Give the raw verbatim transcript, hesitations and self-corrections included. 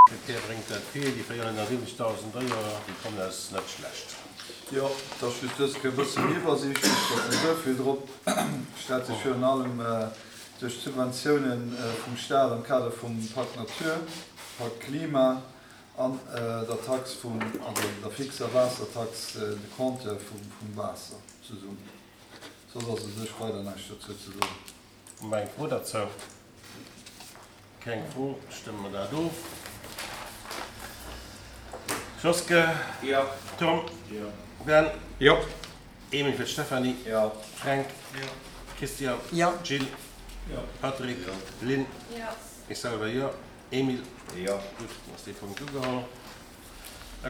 Verkéier bréngt dat vill, déi véierhonnertsiwwenzegdausend Euro, déi kommen eis net schlecht. Jo, et ass just dës Kéier e bësse méi iwwersiichtlech, datt net esou vill drop stellt sech virun allem duerch d'Subventiounen vum Staat am Kader vum Pakt Natur, Pakt Klima an der Tax vum, also der fixer Waassertax, de Compteur vum Waasser zesummen. Soss ass u sech weider näischt dozou ze soen. Hu mer eng Fro derzou? Keng Fro, stëmme mer dat of. Joske? Jo. Tom? Jo. Ben? Jo. Emil fir d'Stéphanie? Jo. Fränk? Jo. Christian? Jo. Jill? Jo. Patrick? Jo. Lynn? Jo. Ech selwer jo. Emil? Jo. Gutt, dann ass dee Punkt ugeholl.